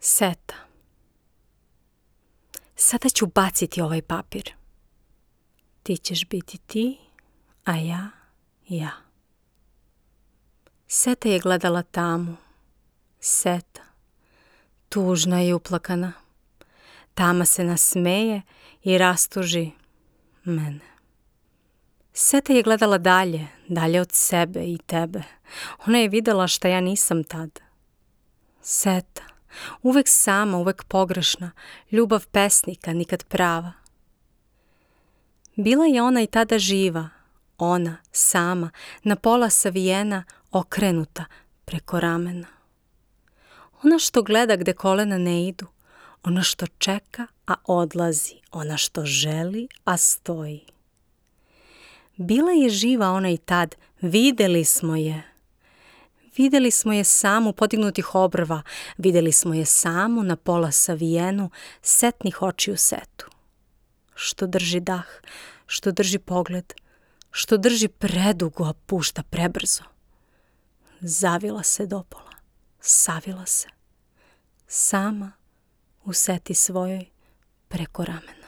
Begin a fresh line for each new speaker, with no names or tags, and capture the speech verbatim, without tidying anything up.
Seta. Sada ću baciti ovaj papir. Ti ćeš biti ti, a ja, ja. Seta je gledala tamu. Seta, tužna i uplakana. Tama se nasmeje i rastuži mene. Seta je gledala dalje, dalje od sebe i tebe. Ona je videla šta ja nisam tad. Seta, uvek sama, uvek pogrešna, ljubav pesnika, nikad prava. Bila je ona i tada živa, ona, sama, na pola savijena, okrenuta preko ramena. Ona što gleda gde kolena ne idu, ona što čeka, a odlazi, ona što želi, a stoji. Bila je živa ona i tad, videli smo je. Videli smo je samu podignutih obrva, videli smo je samu na pola savijenu, setnih očiju setu. Što drži dah, što drži pogled, što drži predugo, a pušta prebrzo. Zavila se dopola, savila se, sama u seti svojoj preko ramena.